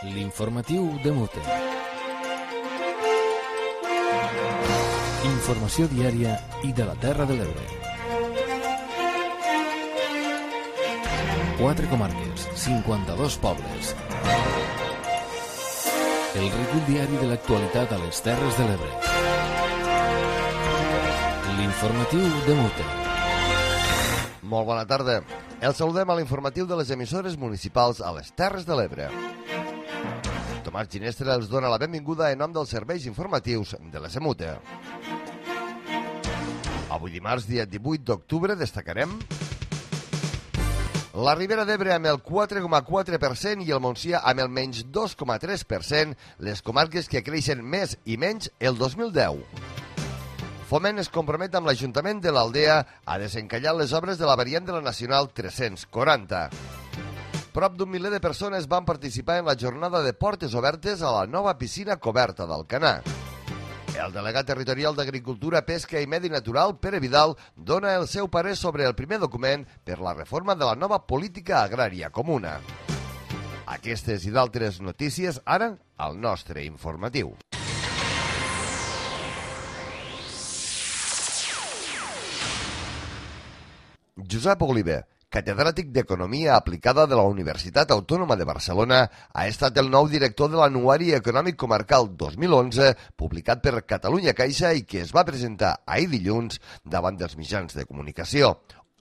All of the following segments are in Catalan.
L'informatiu de Mute. Informació diària i de la Terra de l'Ebre. 4 comarques, 52 pobles. El recull diari de l'actualitat a les Terres de l'Ebre. L'informatiu de Mute. Molt bona tarda. El saludem a l'informatiu de les emissores municipals a les Terres de l'Ebre. Tomàs Ginestra els dona la benvinguda en nom dels serveis informatius de la SEMUTE. Avui dimarts, dia 18 d'octubre, destacarem la Ribera d'Ebre amb el 4,4% i el Montsià amb el menys 2,3%, les comarques que creixen més i menys el 2010. Foment es compromet amb l'Ajuntament de l'Aldea a desencallar les obres de la variant de la Nacional 340. Prop d'un miler de persones van participar en la jornada de portes obertes a la nova piscina coberta d'Alcanar. El delegat territorial d'Agricultura, Pesca i Medi Natural, Pere Vidal, dona el seu parer sobre el primer document per la reforma de la nova política agrària comuna. Aquestes i d'altres notícies ara al nostre informatiu. Josep Oliver, catedràtic d'Economia Aplicada de la Universitat Autònoma de Barcelona, ha estat el nou director de l'Anuari Econòmic Comarcal 2011, publicat per Catalunya Caixa i que es va presentar ahir dilluns davant dels mitjans de comunicació.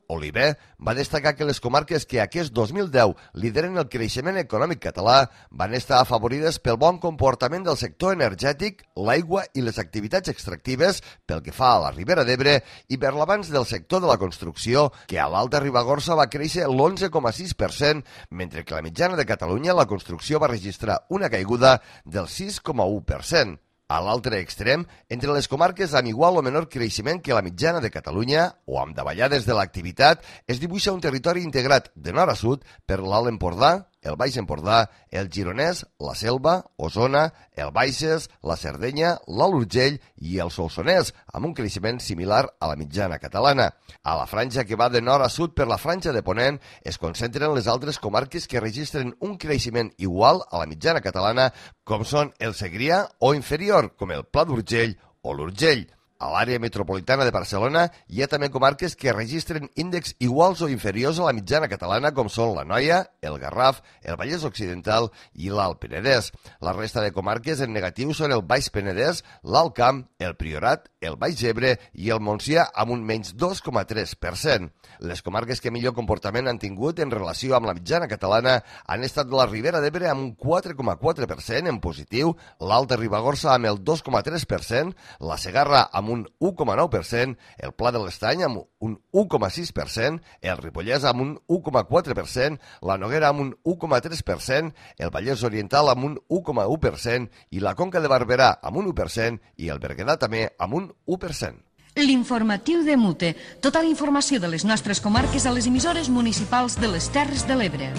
Oliver va destacar que les comarques que aquest 2010 lideren el creixement econòmic català van estar afavorides pel bon comportament del sector energètic, l'aigua i les activitats extractives pel que fa a la Ribera d'Ebre i per l'avanç del sector de la construcció, que a l'Alta Ribagorça va créixer l'11,6%, mentre que a la mitjana de Catalunya la construcció va registrar una caiguda del 6,1%. A l'altre extrem, entre les comarques amb igual o menor creixement que la mitjana de Catalunya o amb davallades de l'activitat, es dibuixa un territori integrat de nord a sud per l'Alt Empordà, el Baix Empordà, el Gironès, la Selva, Osona, el Baixes, la Cerdanya, l'Alt Urgell i el Solsonès, amb un creixement similar a la mitjana catalana. A la franja que va de nord a sud per la franja de Ponent es concentren les altres comarques que registren un creixement igual a la mitjana catalana, com són el Segrià o inferior, com el Pla d'Urgell o l'Urgell. A l'àrea metropolitana de Barcelona hi ha també comarques que registren índexs iguals o inferiors a la mitjana catalana, com són l'Anoia, el Garraf, el Vallès Occidental i l'Alt Penedès. La resta de comarques en negatiu són el Baix Penedès, l'Alt Camp, el Priorat, el Baix Ebre i el Montsià amb un menys 2,3%. Les comarques que millor comportament han tingut en relació amb la mitjana catalana han estat la Ribera d'Ebre amb un 4,4% en positiu, l'Alta Ribagorça amb el 2,3%, la Segarra amb un 1,9%, el Pla de l'Estany amb un 1,6%, el Ripollès amb un 1,4%, la Noguera amb un 1,3%, el Vallès Oriental amb un 1,1% i la Conca de Barberà amb un 1% i el Berguedà també amb un 1%. L'informatiu de Mute. Tota la informació de les nostres comarques a les emissores municipals de les Terres de l'Ebre.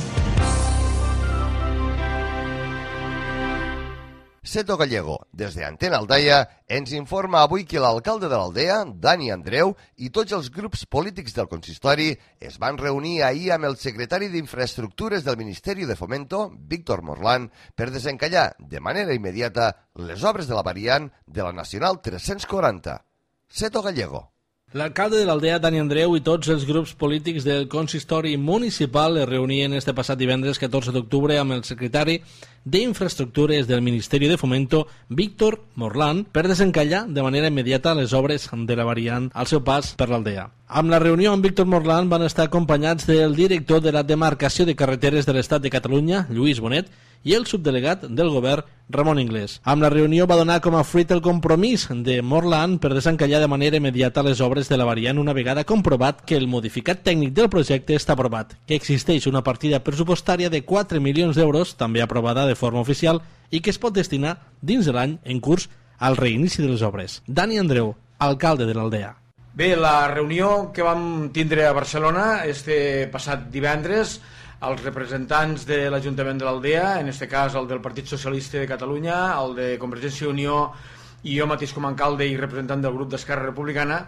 Seto Gallego, des d'Antena Aldaia, ens informa avui que l'alcalde de l'Aldea, Dani Andreu, i tots els grups polítics del consistori es van reunir ahir amb el secretari d'Infraestructures del Ministeri de Fomento, Víctor Morlán, per desencallar de manera immediata les obres de la variant de la Nacional 340. Seto Gallego. L'alcalde de l'Aldea, Dani Andreu, i tots els grups polítics del consistori municipal es reunien este passat divendres 14 d'octubre amb el secretari d'Infraestructures del Ministeri de Fomento, Víctor Morlán, per desencallar de manera immediata les obres de la variant al seu pas per l'Aldea. Amb la reunió amb Víctor Morlán van estar acompanyats del director de la demarcació de carreteres de l'Estat de Catalunya, Lluís Bonet, i el subdelegat del govern, Ramon Inglés. Amb la reunió va donar com a fruit el compromís de Morlán per desencallar de manera immediata les obres de la variant una vegada comprovat que el modificat tècnic del projecte està aprovat, que existeix una partida pressupostària de 4 milions d'euros, també aprovada de forma oficial, i que es pot destinar dins de l'any en curs al reinici de les obres. Dani Andreu, alcalde de l'Aldea. Bé, la reunió que vam tindre a Barcelona este passat divendres, els representants de l'Ajuntament de l'Aldea, en aquest cas el del Partit Socialista de Catalunya, el de Convergència i Unió i jo mateix com a alcalde i representant del grup d'Esquerra Republicana,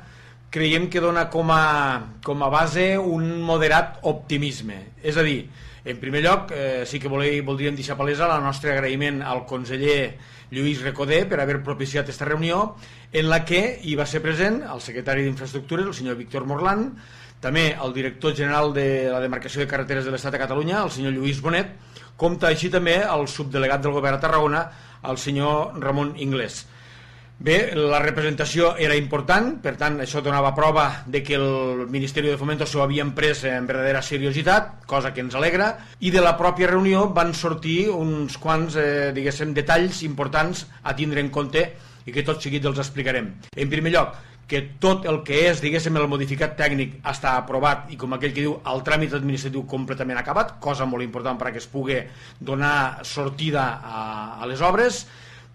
creiem que dona com a base un moderat optimisme. És a dir, En primer lloc, sí que voldríem deixar palesa el nostre agraïment al conseller Lluís Recoder per haver propiciat aquesta reunió, en la que hi va ser present el secretari d'Infraestructures, el senyor Víctor Morlán, també el director general de la demarcació de carreteres de l'Estat a Catalunya, el senyor Lluís Bonet, com així també el subdelegat del govern a Tarragona, el senyor Ramon Inglés. Bé, la representació era important, per tant, això donava prova de que el Ministeri de Fomento s'ho havien pres en verdadera seriositat, cosa que ens alegra, i de la pròpia reunió van sortir uns quants, detalls importants a tindre en compte i que tot seguit els explicarem. En primer lloc, que tot el que és, el modificat tècnic està aprovat i, com aquell que diu, el tràmit administratiu completament acabat, cosa molt important perquè es pugui donar sortida a les obres.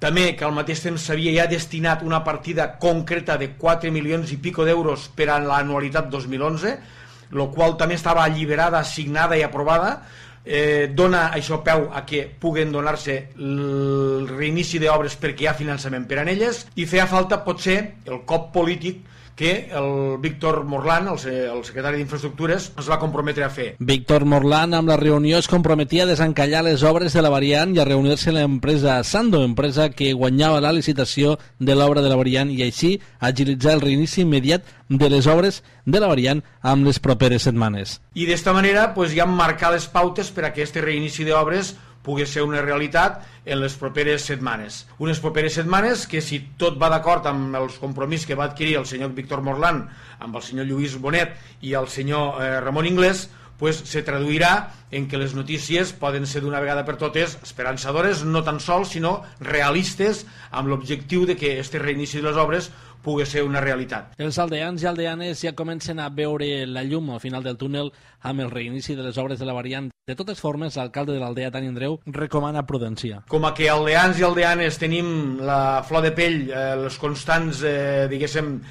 També que al mateix temps s'havia ja destinat una partida concreta de 4 milions i pico d'euros per a l'anualitat 2011, el qual també estava alliberada, assignada i aprovada. Dona això peu a que puguen donar-se el reinici d'obres perquè hi ha finançament per a elles, i feia falta potser el cop polític que el Víctor Morlán, el secretari d'Infraestructures, es va comprometre a fer. Víctor Morlán, amb la reunió, es comprometia a desencallar les obres de la variant i a reunir-se amb l'empresa Sando, empresa que guanyava la licitació de l'obra de la variant, i així agilitzar el reinici immediat de les obres de la variant amb les properes setmanes. I d'esta manera ja marcar les pautes per a que aquest reinici d'obres pugui ser una realitat en les properes setmanes. Unes properes setmanes que, si tot va d'acord amb els compromisos que va adquirir el senyor Víctor Morlán amb el senyor Lluís Bonet i el senyor Ramon Inglés, se traduirà en que les notícies poden ser d'una vegada per totes esperançadores, no tan sols, sinó realistes, amb l'objectiu de que aquest reinici de les obres pugui ser una realitat. Els aldeans i aldeanes ja comencen a veure la llum al final del túnel amb el reinici de les obres de la variant. De totes formes, l'alcalde de l'aldea, Dani Andreu, recomana prudència. Com a que aldeans i aldeanes tenim la flor de pell, els constants,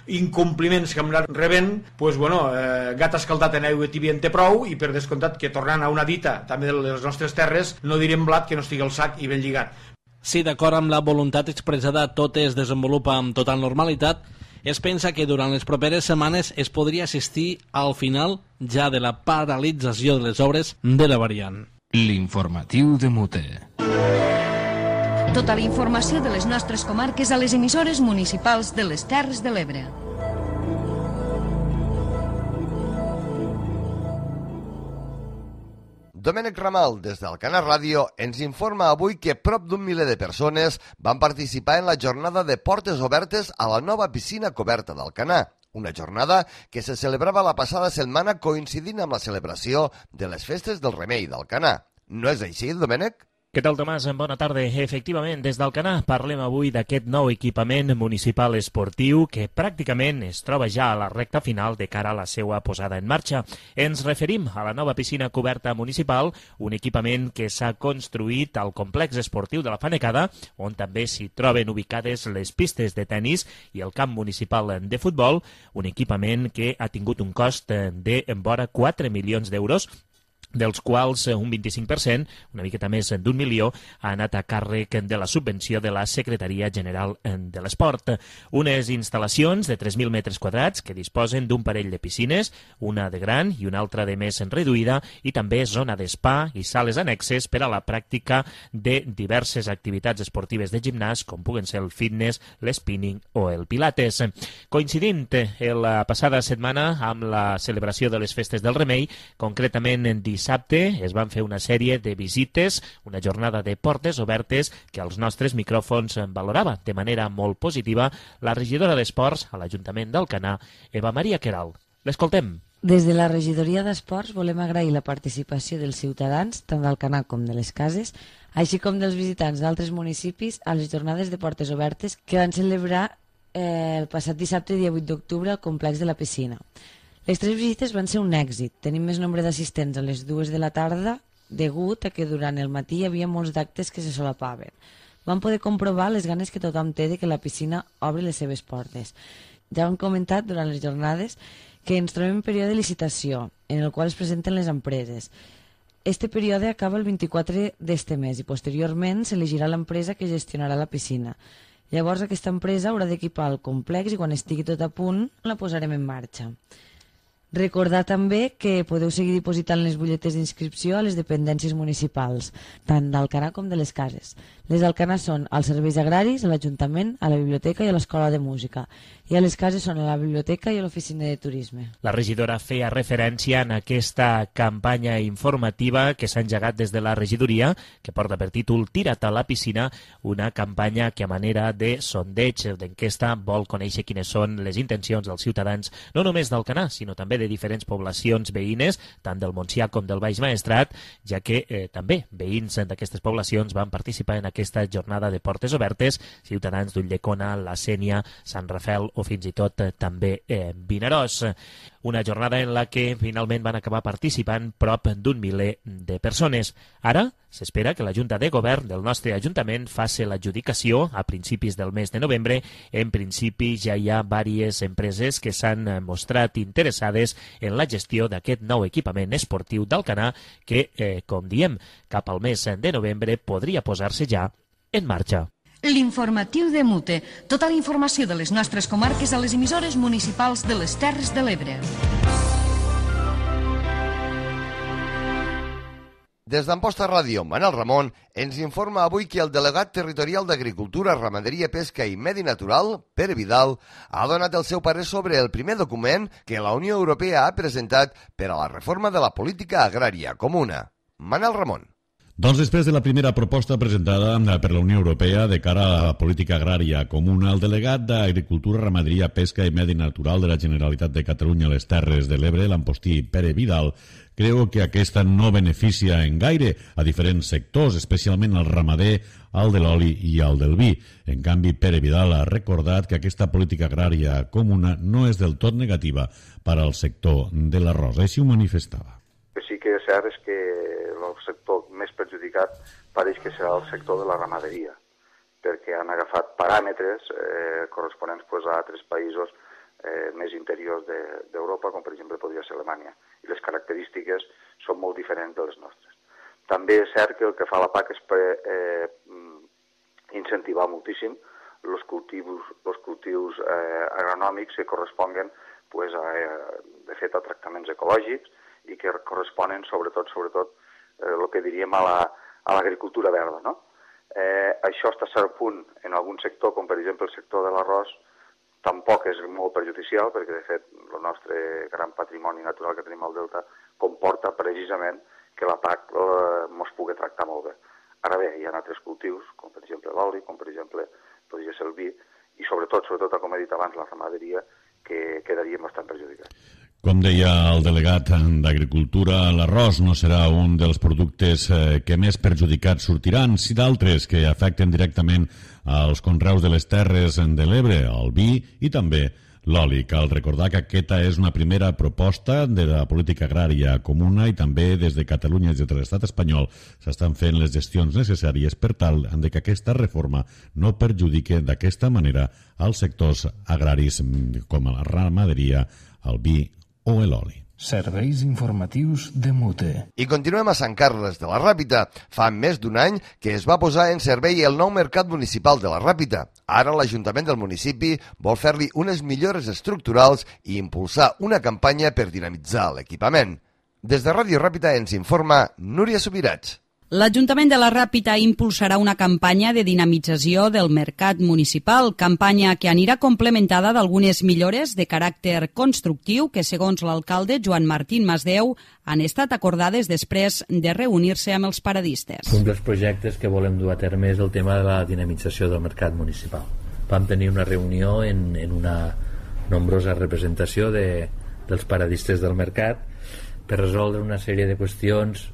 incompliments que hem anat rebent, gat escaldat en aigua tibia en té prou, i per descomptat que, tornant a una dita també de les nostres terres, no direm blat que no estigui al sac i ben lligat. Si d'acord amb la voluntat expressada tot es desenvolupa amb total normalitat, es pensa que durant les properes setmanes es podria assistir al final ja de la paralització de les obres de la variant. L'informatiu de Mute. Tota la informació de les nostres comarques a les emissores municipals de les Terres de l'Ebre. Domènec Ramal, des d'Alcanar Ràdio, ens informa avui que prop d'un miler de persones van participar en la jornada de portes obertes a la nova piscina coberta d'Alcanar. Una jornada que se celebrava la passada setmana coincidint amb la celebració de les festes del Remei d'Alcanar. No és així, Domènec? Què tal, Tomàs? Bona tarda. Efectivament, des d'Alcanar parlem avui d'aquest nou equipament municipal esportiu que pràcticament es troba ja a la recta final de cara a la seva posada en marxa. Ens referim a la nova piscina coberta municipal, un equipament que s'ha construït al complex esportiu de la Fanecada, on també s'hi troben ubicades les pistes de tennis i el camp municipal de futbol, un equipament que ha tingut un cost de vora 4 milions d'euros, dels quals un 25%, una miqueta més d'1 milió, ha anat a càrrec de la subvenció de la Secretaria General de l'Esport. Unes instal·lacions de 3.000 metres quadrats que disposen d'un parell de piscines, una de gran i una altra de més reduïda, i també zona d'espa i sales annexes per a la pràctica de diverses activitats esportives de gimnàs, com puguen ser el fitness, l'spinning o el pilates. Coincidint la passada setmana amb la celebració de les festes del Remei, concretament en dissabte es van fer una sèrie de visites, una jornada de portes obertes que els nostres micròfons valorava de manera molt positiva la regidora d'Esports a l'Ajuntament d'Alcanar, Eva Maria Queralt. L'escoltem. Des de la regidoria d'Esports volem agrair la participació dels ciutadans, tant d'Alcanar com de les cases, així com dels visitants d'altres municipis a les jornades de portes obertes que van celebrar el passat dissabte, dia 8 d'octubre, al complex de la piscina. Les 3 visites van ser un èxit. Tenim més nombre d'assistents a les 2 de la tarda degut a que durant el matí hi havia molts d'actes que se solapaven. Vam poder comprovar les ganes que tothom té de que la piscina obri les seves portes. Ja hem comentat durant les jornades que ens trobem en període de licitació, en el qual es presenten les empreses. Este període acaba el 24 d'este mes i posteriorment s'elegirà l'empresa que gestionarà la piscina. Llavors aquesta empresa haurà d'equipar el complex i quan estigui tot a punt la posarem en marxa. Recordar també que podeu seguir dipositant les butlletes d'inscripció a les dependències municipals, tant d'Alcanar com de les cases. Les d'Alcanar són als serveis agraris, a l'Ajuntament, a la biblioteca i a l'Escola de Música, i a les cases són a la biblioteca i a l'Oficina de Turisme. La regidora feia referència en aquesta campanya informativa que s'ha engegat des de la regidoria, que porta per títol Tira't a la piscina, una campanya que a manera de sondeig, d'enquesta, vol conèixer quines són les intencions dels ciutadans, no només d'Alcanar, sinó també de diferents poblacions veïnes, tant del Montsià com del Baix Maestrat, ja que també veïns d'aquestes poblacions van participar en aquesta jornada de portes obertes, ciutadans d'Ulldecona, la Sénia, Sant Rafel o fins i tot també Vinaròs. Una jornada en la que finalment van acabar participant prop d'un miler de persones. Ara s'espera que la Junta de Govern del nostre Ajuntament faci l'adjudicació a principis del mes de novembre. En principi ja hi ha diverses empreses que s'han mostrat interessades en la gestió d'aquest nou equipament esportiu d'Alcanar que, com diem, cap al mes de novembre podria posar-se ja en marxa. L'informatiu de Mute. Tota la informació de les nostres comarques a les emissores municipals de les Terres de l'Ebre. Des d'Amposta Ràdio, Manel Ramon ens informa avui que el delegat territorial d'Agricultura, Ramaderia, Pesca i Medi Natural, Pere Vidal, ha donat el seu parer sobre el primer document que la Unió Europea ha presentat per a la reforma de la política agrària comuna. Manel Ramon. Doncs després de la primera proposta presentada per la Unió Europea de cara a la política agrària comuna, el delegat d'Agricultura, Ramaderia, Pesca i Medi Natural de la Generalitat de Catalunya a les Terres de l'Ebre, l'ampostí Pere Vidal, creu que aquesta no beneficia en gaire a diferents sectors, especialment al ramader, al de l'oli i al del vi. En canvi, Pere Vidal ha recordat que aquesta política agrària comuna no és del tot negativa per al sector de l'arròs. Així ho manifestava. Sí que és cert és que el sector més perjudicat pareix que serà el sector de la ramaderia, perquè han agafat paràmetres corresponents a altres països més interiors d'Europa, com per exemple podria ser Alemanya, i les característiques són molt diferents de les nostres. També és cert que el que fa la PAC és incentivar moltíssim els cultius agronòmics que corresponguen de fet a tractaments ecològics i que corresponen sobretot el que diríem a l'agricultura verda, no? Això està a cert punt en algun sector, com per exemple el sector de l'arròs, tampoc és molt perjudicial, perquè de fet el nostre gran patrimoni natural que tenim al Delta comporta precisament que la PAC ens pugui tractar molt bé. Ara bé, hi ha altres cultius, com per exemple l'oli, com per exemple podria ser el vi, i sobretot, com he dit abans, la ramaderia, que quedarien bastant perjudicats. Com deia el delegat d'Agricultura, l'arròs no serà un dels productes que més perjudicats sortiran, si d'altres que afecten directament als conreus de les Terres de l'Ebre, el vi i també l'oli. Cal recordar que aquesta és una primera proposta de la política agrària comuna i també des de Catalunya i des de l'estat espanyol s'estan fent les gestions necessàries per tal que aquesta reforma no perjudique d'aquesta manera als sectors agraris com la ramaderia, el vi o l'oli. Serveis informatius de Mute. I continuem a Sant Carles de la Ràpita. Fa més d'un any que es va posar en servei el nou mercat municipal de la Ràpita. Ara l'Ajuntament del municipi vol fer-li unes millores estructurals i impulsar una campanya per dinamitzar l'equipament. Des de Ràdio Ràpita ens informa Núria Subirats. L'Ajuntament de la Ràpita impulsarà una campanya de dinamització del mercat municipal, campanya que anirà complementada d'algunes millores de caràcter constructiu que, segons l'alcalde Joan Martín Masdeu, han estat acordades després de reunir-se amb els paradistes. Un dels projectes que volem dur a terme és el tema de la dinamització del mercat municipal. Vam tenir una reunió en una nombrosa representació dels paradistes del mercat per resoldre una sèrie de qüestions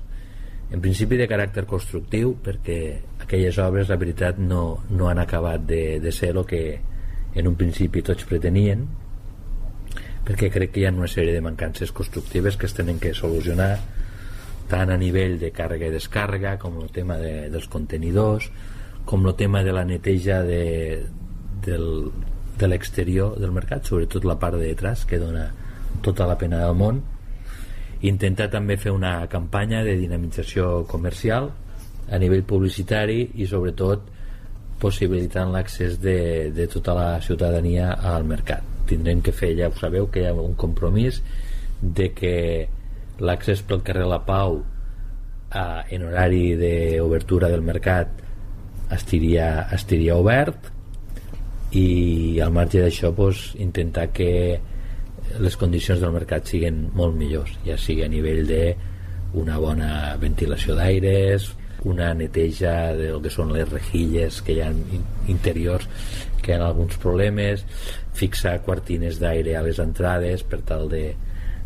en principi de caràcter constructiu, perquè aquelles obres, la veritat, no han acabat de ser el que en un principi tots pretenien, perquè crec que hi ha una sèrie de mancances constructives que es tenen que solucionar, tant a nivell de càrrega i descàrrega, com el tema dels contenidors, com el tema de la neteja de l'exterior del mercat, sobretot la part de detrás, que dona tota la pena del món. Intentar també fer una campanya de dinamització comercial a nivell publicitari i sobretot possibilitant l'accés de tota la ciutadania al mercat. Tindrem que fer, ja ho sabeu, que hi ha un compromís de que l'accés pel carrer La Pau en horari d'obertura del mercat estiria obert, i al marge d'això intentar que les condicions del mercat siguin molt millors, ja sigui a nivell d'una bona ventilació d'aires, una neteja del que són les rejilles que hi ha interiors que hi ha alguns problemes, fixar cortines d'aire a les entrades per tal de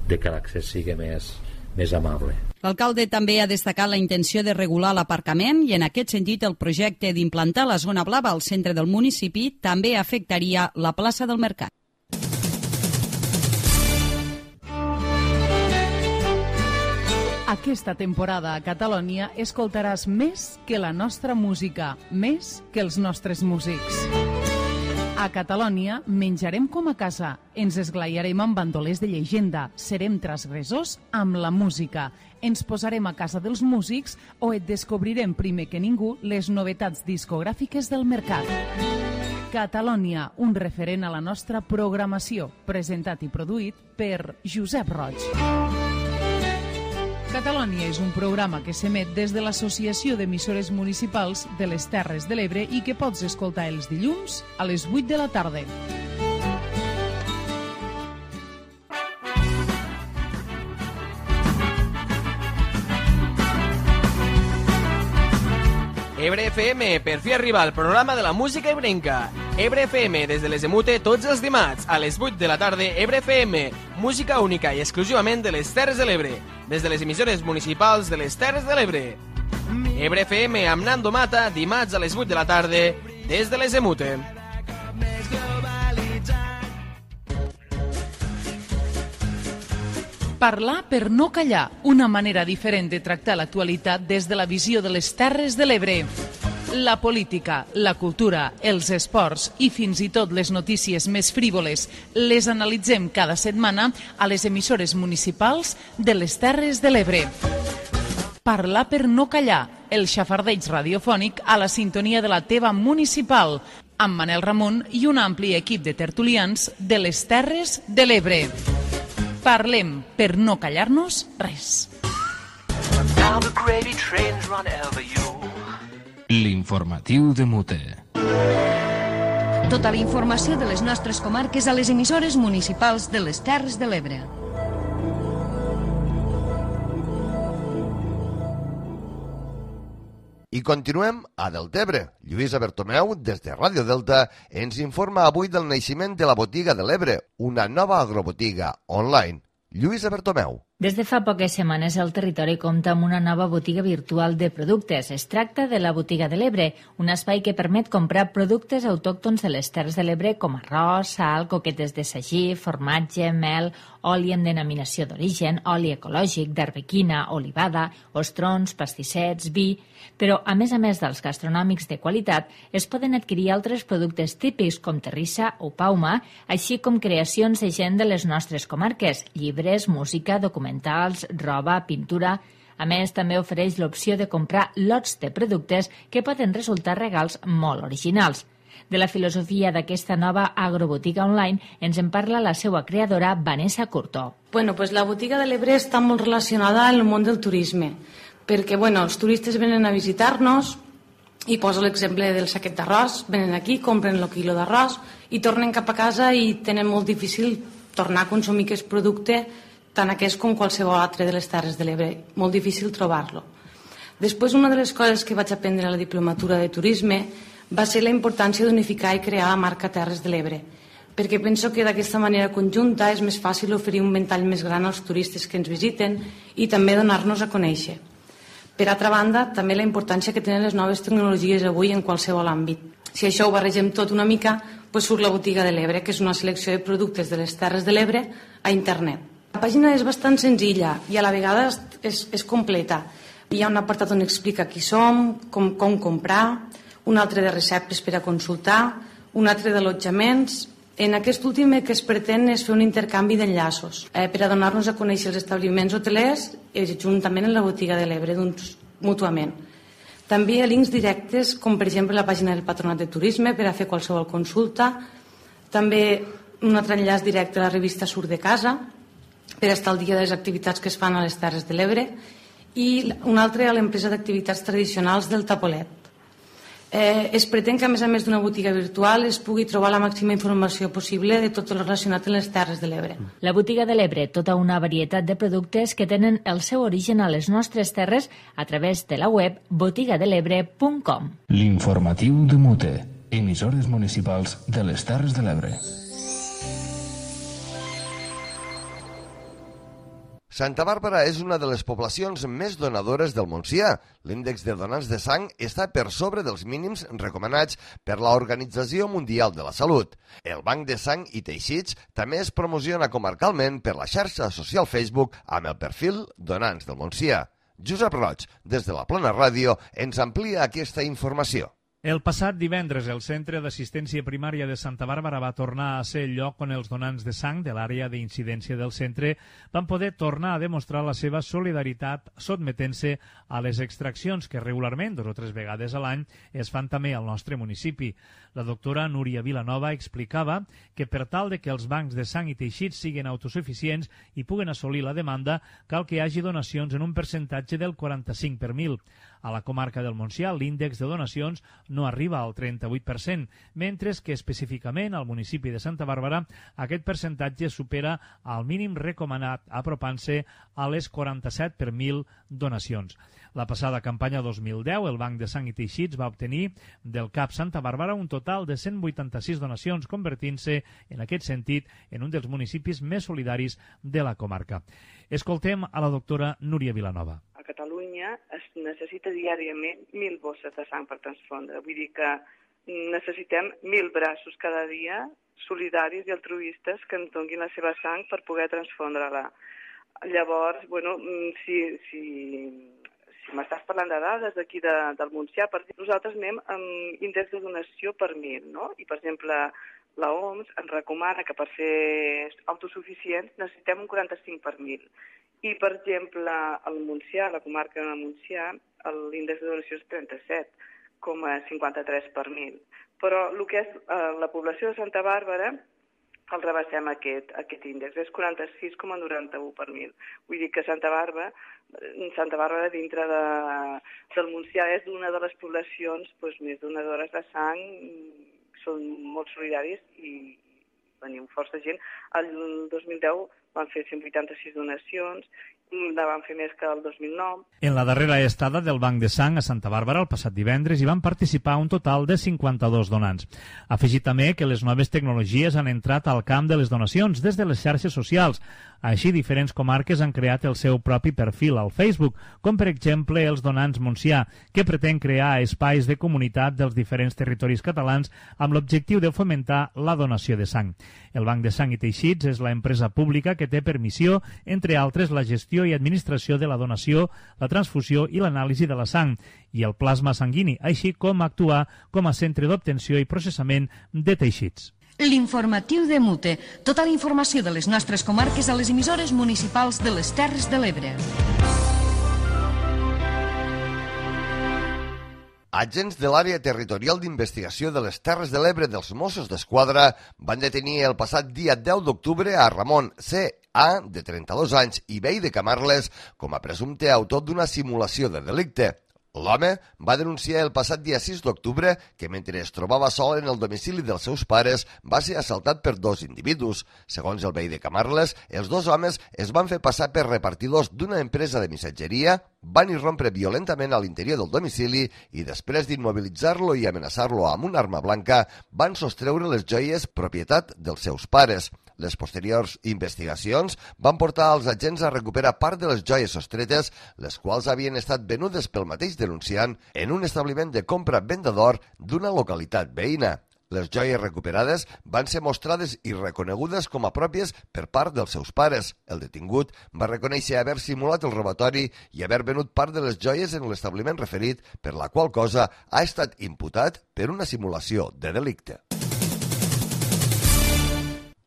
que l'accés sigui més amable. L'alcalde també ha destacat la intenció de regular l'aparcament i en aquest sentit el projecte d'implantar la zona blava al centre del municipi també afectaria la plaça del Mercat. Aquesta temporada a Catalunya escoltaràs més que la nostra música, més que els nostres músics. A Catalunya menjarem com a casa, ens esglaiarem amb bandolers de llegenda, serem transgressors amb la música, ens posarem a casa dels músics o et descobrirem primer que ningú les novetats discogràfiques del mercat. Catalunya, un referent a la nostra programació, presentat i produït per Josep Roig. Catalunya és un programa que s'emet des de l'Associació d'Emissores Municipals de les Terres de l'Ebre i que pots escoltar els dilluns a les 8 de la tarda. Ebre FM, per fi arriba al programa de la música ebrenca. Ebre FM, des de les Emute, tots els dimarts, a les 8 de la tarda, Ebre FM, música única i exclusivament de les Terres de l'Ebre, des de les emissores municipals de les Terres de l'Ebre. Ebre FM amb Nando Mata, dimarts a les 8 de la tarda, des de les Emute. Parlar per no callar, una manera diferent de tractar l'actualitat des de la visió de les Terres de l'Ebre. La política, la cultura, els esports i fins i tot les notícies més frívoles les analitzem cada setmana a les emissores municipals de les Terres de l'Ebre. Parlar per no callar, el xafardeig radiofònic a la sintonia de la teva municipal, amb Manel Ramon i un ampli equip de tertulians de les Terres de l'Ebre. Parlem per no callar-nos res. L'informatiu de Mute. Tota la informació de les nostres comarques a les emissores municipals de les Terres de l'Ebre. I continuem a Deltebre. Lluïsa Bertomeu, des de Ràdio Delta, ens informa avui del naixement de la Botiga de l'Ebre, una nova agrobotiga online. Lluïsa Bertomeu. Des de fa poques setmanes el territori compta amb una nova botiga virtual de productes. Es tracta de la Botiga de l'Ebre, un espai que permet comprar productes autòctons de les Terres de l'Ebre com arròs, sal, coquetes de sagí, formatge, mel, oli amb denominació d'origen, oli ecològic, d'arbequina, olivada, ostrons, pastissets, vi... Però, a més dels gastronòmics de qualitat, es poden adquirir altres productes típics com terrissa o pauma, així com creacions de gent de les nostres comarques, llibres, música, documentals, roba, pintura... A més, també ofereix l'opció de comprar lots de productes que poden resultar regals molt originals. De la filosofia d'aquesta nova agrobotiga online ens en parla la seva creadora, Vanessa Curto. Pues la Botiga de l'Ebre està molt relacionada amb el món del turisme, perquè els turistes venen a visitar-nos i poso l'exemple del saquet d'arròs, venen aquí, compren el quilo d'arròs i tornen cap a casa i tenen molt difícil tornar a consumir aquest producte, tant aquest com qualsevol altre de les Terres de l'Ebre, molt difícil trobar-lo. Després, una de les coses que vaig aprendre a la diplomatura de turisme va ser la importància d'unificar i crear la marca Terres de l'Ebre, perquè penso que d'aquesta manera conjunta és més fàcil oferir un ventall més gran als turistes que ens visiten i també donar-nos a conèixer. Per altra banda, també la importància que tenen les noves tecnologies avui en qualsevol àmbit. Si això ho barregem tot una mica, surt la Botiga de l'Ebre, que és una selecció de productes de les Terres de l'Ebre a internet. La pàgina és bastant senzilla i a la vegada és completa. Hi ha un apartat on explica qui som, com comprar, un altre de receptes per a consultar, un altre d'allotjaments. En aquest últim el que es pretén és fer un intercanvi d'enllaços per a donar-nos a conèixer els establiments hotelers juntament amb la Botiga de l'Ebre mútuament. També hi ha links directes com per exemple la pàgina del Patronat de Turisme per a fer qualsevol consulta, també un altre enllaç directe a la revista Surt de Casa per estar al dia de les activitats que es fan a les Terres de l'Ebre, i un altre a l'empresa d'activitats tradicionals del Tapolet. Es pretén que, a més d'una botiga virtual, es pugui trobar la màxima informació possible de tot el relacionat amb les Terres de l'Ebre. La Botiga de l'Ebre, tota una varietat de productes que tenen el seu origen a les nostres terres a través de la web botigadelebre.com. L'informatiu de Mute, emissores municipals de les Terres de l'Ebre. Santa Bàrbara és una de les poblacions més donadores del Montsià. L'índex de donants de sang està per sobre dels mínims recomanats per l'Organització Mundial de la Salut. El Banc de Sang i Teixits també es promociona comarcalment per la xarxa social Facebook amb el perfil Donants del Montsià. Josep Roig, des de la Plana Ràdio, ens amplia aquesta informació. El passat divendres, el Centre d'Assistència Primària de Santa Bàrbara va tornar a ser el lloc on els donants de sang de l'àrea d'incidència del centre van poder tornar a demostrar la seva solidaritat sotmetent-se a les extraccions que regularment, 2 o 3 vegades a l'any, es fan també al nostre municipi. La doctora Núria Vilanova explicava que per tal de que els bancs de sang i teixits siguin autosuficients i puguen assolir la demanda, cal que hi hagi donacions en un percentatge del 45 per 1000. A la comarca del Montsià, l'índex de donacions no arriba al 38%, mentre que específicament al municipi de Santa Bàrbara aquest percentatge supera el mínim recomanat, apropant-se a les 47 per 1000 donacions. La passada campanya 2010, el Banc de Sang i Teixits va obtenir del CAP Santa Bàrbara un total de 186 donacions, convertint-se, en aquest sentit, en un dels municipis més solidaris de la comarca. Escoltem a la doctora Núria Vilanova. A Catalunya es necessita diàriament 1.000 bosses de sang per transfondre. Vull dir que necessitem 1.000 braços cada dia solidaris i altruistes que ens donguin la seva sang per poder transfondre-la. Llavors, bueno, si m'estàs parlant de dades d'aquí del Montsià, nosaltres anem amb índex de donació per 1.000, no? I, per exemple, la OMS ens recomana que per ser autosuficients necessitem un 45 per 1.000. I, per exemple, al Montsià, a la comarca de Montsià, l'índex de donació és 37,53 per 1.000. Però el que és la població de Santa Bàrbara el rebassem aquest índex, és 46,91 per 1.000. Vull dir que Santa Bàrbara dintre del Montsià és una de les poblacions més donadores de sang, són molt solidaris i venim força gent. El 2010 van fer 186 donacions, la van fer més que el 2009. En la darrera estada del Banc de Sang a Santa Bàrbara el passat divendres hi van participar un total de 52 donants. Afegir també que les noves tecnologies han entrat al camp de les donacions des de les xarxes socials. Així, diferents comarques han creat el seu propi perfil al Facebook, com per exemple els Donants Montsià, que pretén crear espais de comunitat dels diferents territoris catalans amb l'objectiu de fomentar la donació de sang. El Banc de Sang i Teixits és l'empresa pública que té per missió, entre altres, la gestió i administració de la donació, la transfusió i l'anàlisi de la sang i el plasma sanguini, així com actuar com a centre d'obtenció i processament de teixits. L'informatiu de Mute. Tota la informació de les nostres comarques a les emissores municipals de les Terres de l'Ebre. Agents de l'àrea territorial d'investigació de les Terres de l'Ebre dels Mossos d'Esquadra van detenir el passat dia 10 d'octubre a Ramon C.A., de 32 anys, i veí de Camarles, com a presumpte autor d'una simulació de delicte. L'home va denunciar el passat dia 6 d'octubre que mentre es trobava sol en el domicili dels seus pares va ser assaltat per 2 individus. Segons el veí de Camarles, els 2 homes es van fer passar per repartidors d'una empresa de missatgeria, van irrompre violentament a l'interior del domicili i després d'immobilitzar-lo i amenaçar-lo amb una arma blanca van sostreure les joies propietat dels seus pares. Les posteriors investigacions van portar als agents a recuperar part de les joies sostretes, les quals havien estat venudes pel mateix denunciant en un establiment de compra-venda d'or d'una localitat veïna. Les joies recuperades van ser mostrades i reconegudes com a pròpies per part dels seus pares. El detingut va reconèixer haver simulat el robatori i haver venut part de les joies en l'establiment referit, per la qual cosa ha estat imputat per una simulació de delicte.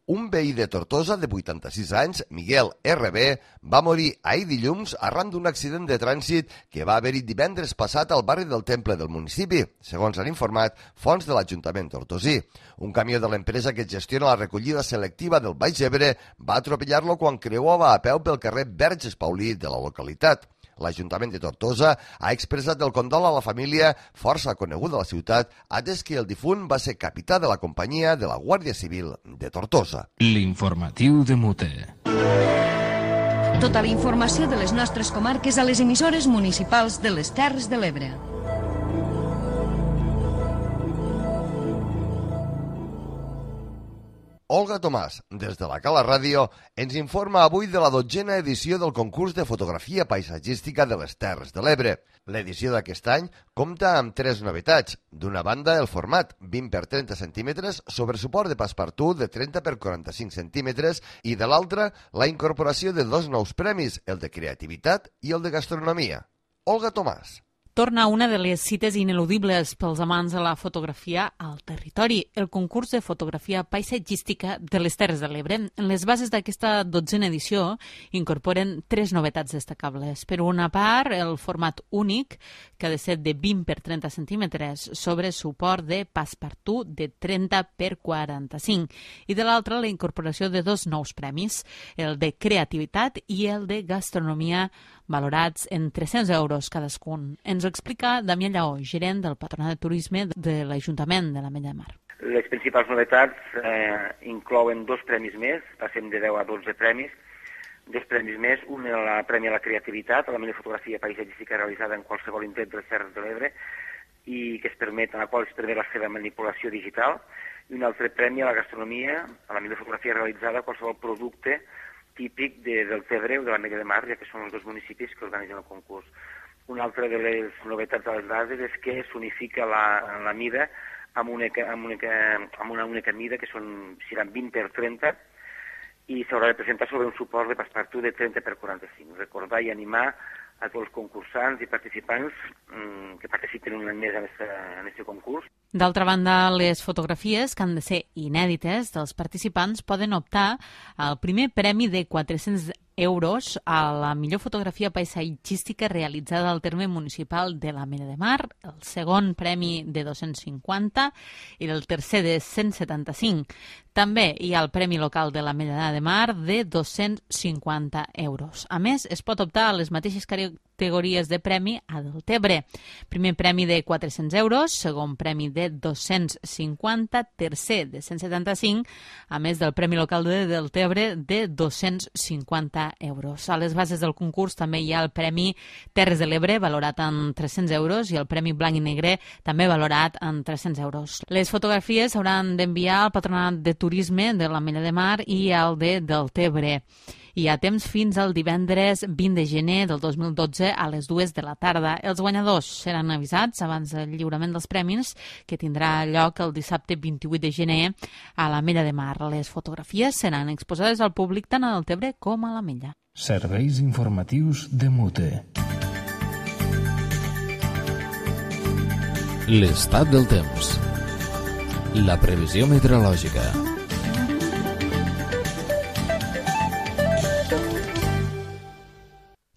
Un veí de Tortosa de 86 anys, Miguel RB, va morir ahir dilluns arran d'un accident de trànsit que va haver-hi divendres passat al barri del Temple del municipi, segons han informat fonts de l'Ajuntament tortosí. Un camió de l'empresa que gestiona la recollida selectiva del Baix Ebre va atropellar-lo quan creuava a peu pel carrer Verges Paulí de la localitat. L'Ajuntament de Tortosa ha expressat el condol a la família, força coneguda a la ciutat, atès que el difunt va ser capità de la companyia de la Guàrdia Civil de Tortosa. L'informatiu de Mute. Tota la informació de les nostres comarques a les emissores municipals de les Terres de l'Ebre. Olga Tomàs, des de la Cala Ràdio, ens informa avui de la 12a edició del concurs de fotografia paisatgística de les Terres de l'Ebre. L'edició d'aquest any compta amb 3 novetats. D'una banda, el format 20 x 30 centímetres sobre suport de passepartout de 30 x 45 centímetres i de l'altra, la incorporació de 2 nous premis, el de creativitat i el de gastronomia. Olga Tomàs. Torna una de les cites ineludibles pels amants de la fotografia al territori, el concurs de fotografia paisatgística de les Terres de l'Ebre. Les bases d'aquesta 12a edició incorporen 3 novetats destacables. Per una part, el format únic, que ha de ser de 20 x 30 centímetres sobre suport de passepartout de 30 x 45. I de l'altra, la incorporació de 2 nous premis, el de creativitat i el de gastronomia, valorats en 300 euros cadascun. Ens ho explica Damià Lleó, gerent del Patronat de Turisme de l'Ajuntament de l'Ametlla de Mar. Les principals novetats inclouen 2 premis més, passem de 10 a 12 premis, 2 premis més, un el premi a la creativitat, a la millor fotografia paisatgística realitzada en qualsevol indret de les Terres de l'Ebre, i que en la qual es permet la seva manipulació digital, i un altre premi a la gastronomia, a la millor fotografia realitzada a qualsevol producte típic del Tebre o de l'Ametlla de Mar, ja que són els 2 municipis que organitzen el concurs. Una altra de les novetats de les bases és que s'unifica la mida amb una única mida, que seran 20 x 30, i s'haurà de presentar sobre un suport de passepartout de 30 x 45. Recordar i animar a tots els concursants i participants que participen un any més en aquest concurs. D'altra banda, les fotografies, que han de ser inèdites dels participants, poden optar al primer premi de 400 euros a la millor fotografia paisatgística realitzada al terme municipal de l'Ametlla de Mar, el segon premi de 250 i el tercer de 175. També hi ha el Premi Local de l'Ametlla de Mar de 250 euros. A més, es pot optar a les mateixes categories de premi a Deltebre. Primer premi de 400 euros, segon premi de 250, tercer de 175, a més del Premi Local de Deltebre de 250 euros. A les bases del concurs també hi ha el Premi Terres de l'Ebre, valorat en 300 euros, i el Premi Blanc i Negre, també valorat en 300 euros. Les fotografies s'hauran d'enviar al Patronat de Turisme de l'Ametlla de Mar i al de Deltebre. Hi ha temps fins al divendres 20 de gener del 2012 a les 2 de la tarda. Els guanyadors seran avisats abans del lliurament dels premis, que tindrà lloc el dissabte 28 de gener a l'Ametlla de Mar. Les fotografies seran exposades al públic tant a Deltebre com a l'Ametlla. Serveis informatius de Mute. L'estat del temps. La previsió meteorològica.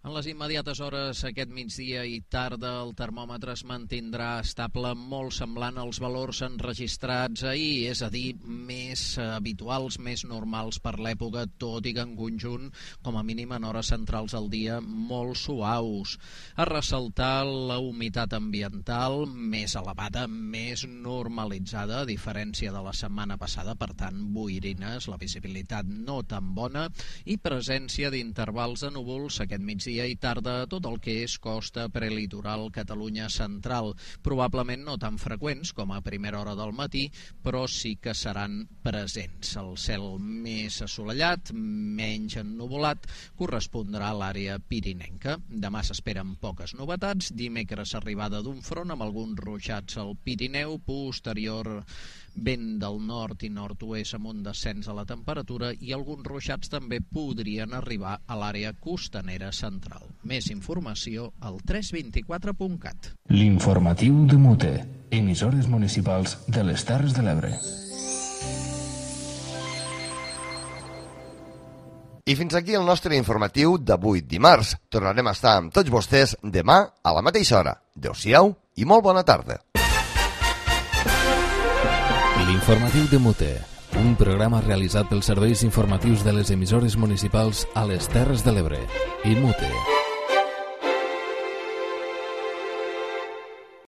En les immediates hores aquest migdia i tarda el termòmetre es mantindrà estable, molt semblant als valors enregistrats ahir, és a dir, més habituals, més normals per l'època, tot i que en conjunt, com a mínim en hores centrals al dia, molt suaus. A ressaltar la humitat ambiental més elevada, més normalitzada, a diferència de la setmana passada, per tant, boirines, la visibilitat no tan bona i presència d'intervals de núvols aquest migdia i tarda a tot el que és costa prelitoral Catalunya central. Probablement no tan freqüents com a primera hora del matí, però sí que seran presents. El cel més assolellat, menys ennuvolat, correspondrà a l'àrea pirinenca. Demà s'esperen poques novetats. Dimecres arribada d'un front amb alguns ruixats al Pirineu, posterior vent del nord i nord-oest amb un descens a la temperatura i alguns ruixats també podrien arribar a l'àrea costanera central. Més informació al 324.cat. L'informatiu de Mute, emissores municipals de les Terres de l'Ebre. I fins aquí el nostre informatiu d'avui dimarts. Tornarem a estar amb tots vostès demà a la mateixa hora. Adéu-siau i molt bona tarda. L'informatiu de Mute, un programa realitzat pels serveis informatius de les emissores municipals a les Terres de l'Ebre i Mute.